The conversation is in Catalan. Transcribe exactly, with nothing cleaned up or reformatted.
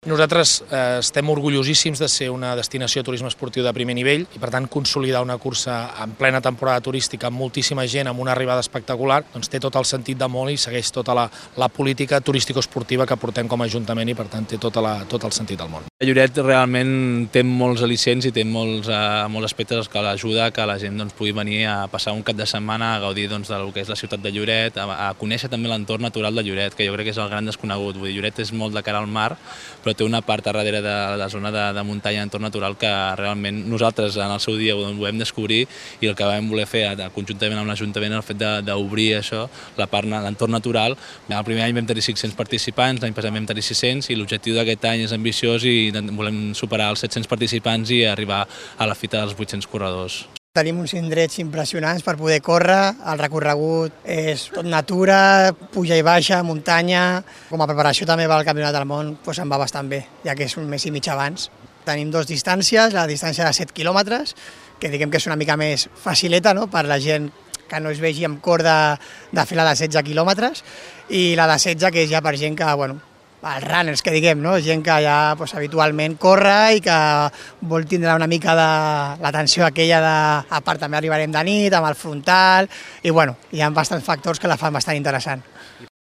Nosaltres eh, estem orgullosíssims de ser una destinació de turisme esportiu de primer nivell i, per tant, consolidar una cursa en plena temporada turística amb moltíssima gent, amb una arribada espectacular, doncs té tot el sentit de molt i segueix tota la, la política turístico-esportiva que portem com a Ajuntament i, per tant, té tota la, tot el sentit del món. Lloret realment té molts al·licents i té molts, eh, molts aspectes que l'ajuda que la gent doncs, pugui venir a passar un cap de setmana a gaudir doncs, del que és la ciutat de Lloret, a, a conèixer també l'entorn natural de Lloret, que jo crec que és el gran desconegut. Vull dir, Lloret és molt de cara al mar, però té una part a darrere de la zona de, de muntanya, entorn natural, que realment nosaltres en el seu dia ho vam descobrir i el que vam voler fer conjuntament amb l'Ajuntament el fet d'obrir això, la part, l'entorn natural. El primer any vam tenir cinc-cents participants, l'any passat vam tenir sis-cents i l'objectiu d'aquest any és ambiciós i volem superar els set-cents participants i arribar a la fita dels vuit-cents corredors. Tenim uns indrets impressionants per poder córrer, el recorregut és tot natura, puja i baixa, muntanya. Com a preparació també pel Campionat del Món doncs em va bastant bé, ja que és un mes i mig abans. Tenim dues distàncies, la distància de set quilòmetres, que diguem que és una mica més facileta, no?, per la gent que no es vegi amb cor de, de fer la de setze quilòmetres, i la de setze que és ja per gent que, bueno, els runners, que diguem, no? Gent que ja doncs, habitualment corre i que vol tindre una mica de l'atenció aquella de... A part també arribarem de nit, amb el frontal, i bueno, hi ha bastants factors que la fan bastant interessant.